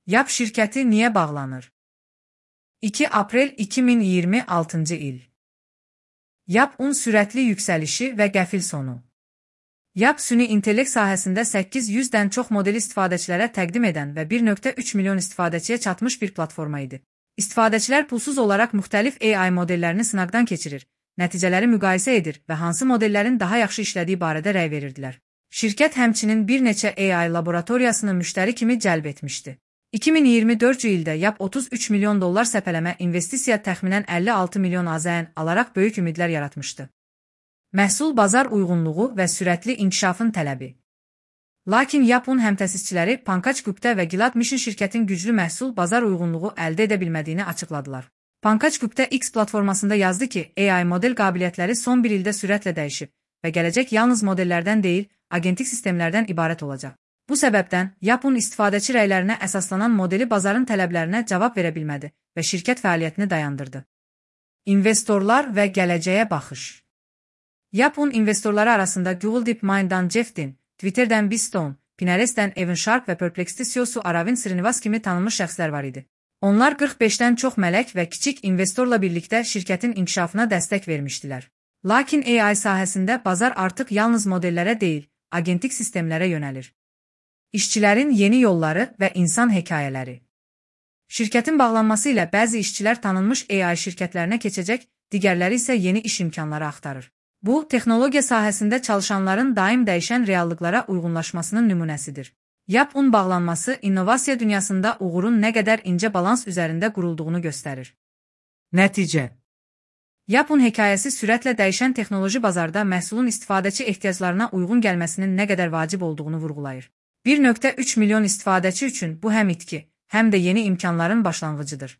Yap şirkəti niyə bağlanır? 2 aprel 2026-cı il. Yap-un sürətli yüksəlişi və qəfil sonu. Yap süni intellekt sahəsində 800-dən çox modeli istifadəçilərə təqdim edən və 1.3 milyon istifadəçiyə çatmış bir platforma idi. İstifadəçilər pulsuz olaraq müxtəlif AI modellərini sınaqdan keçirir, nəticələri müqayisə edir və hansı modellərin daha yaxşı işlədiyi barədə rəy verirdilər. Şirkət həmçinin bir neçə AI laboratoriyasını müştəri kimi cəlb etmişdi. 2024-cü ildə Yap 33 milyon dollar səpələmə investisiya təxminən 56 milyon AZN alaraq böyük ümidlər yaratmışdı. Məhsul bazar uyğunluğu və sürətli inkişafın tələbi. Lakin Yap-un həmtəsisçiləri Pankaj Gupta və Gilad Mission şirkətin güclü məhsul bazar uyğunluğu əldə edə bilmədiyini açıqladılar. Pankaj Gupta X platformasında yazdı ki, AI model qabiliyyətləri son bir ildə sürətlə dəyişib və gələcək yalnız modellərdən deyil, agentik sistemlərdən ibarət olacaq. Bu səbəbdən Yap-un istifadəçi rəylərinə əsaslanan modeli bazarın tələblərinə cavab verə bilmədi və şirkət fəaliyyətini dayandırdı. İnvestorlar və gələcəyə baxış. Yap-un investorları arasında Google DeepMind'dan Jeff Dean, Twitter'dən Bistone, Pinterest'dən Evan Sharp və Perplexity CEO-su Aravind Srinivas kimi tanınmış şəxslər var idi. Onlar 45-dən çox mələk və kiçik investorla birlikdə şirkətin inkişafına dəstək vermişdilər. Lakin AI sahəsində bazar artıq yalnız modellərə deyil, agentik sistemlərə yönəlir. İşçilərin yeni yolları və insan hekayələri. Şirkətin bağlanması ilə bəzi işçilər tanınmış AI şirkətlərinə keçəcək, digərləri isə yeni iş imkanları axtarır. Bu, texnologiya sahəsində çalışanların daim dəyişən reallıqlara uyğunlaşmasının nümunəsidir. Yap-un bağlanması innovasiya dünyasında uğurun nə qədər incə balans üzərində qurulduğunu göstərir. Nəticə. Yap-un hekayəsi sürətlə dəyişən texnoloji bazarda məhsulun istifadəçi ehtiyaclarına uyğun gəlməsinin nə qədər vacib olduğunu vurğulayır. 1.3 milyon istifadəçi üçün bu həm itki, həm də yeni imkanların başlanğıcıdır.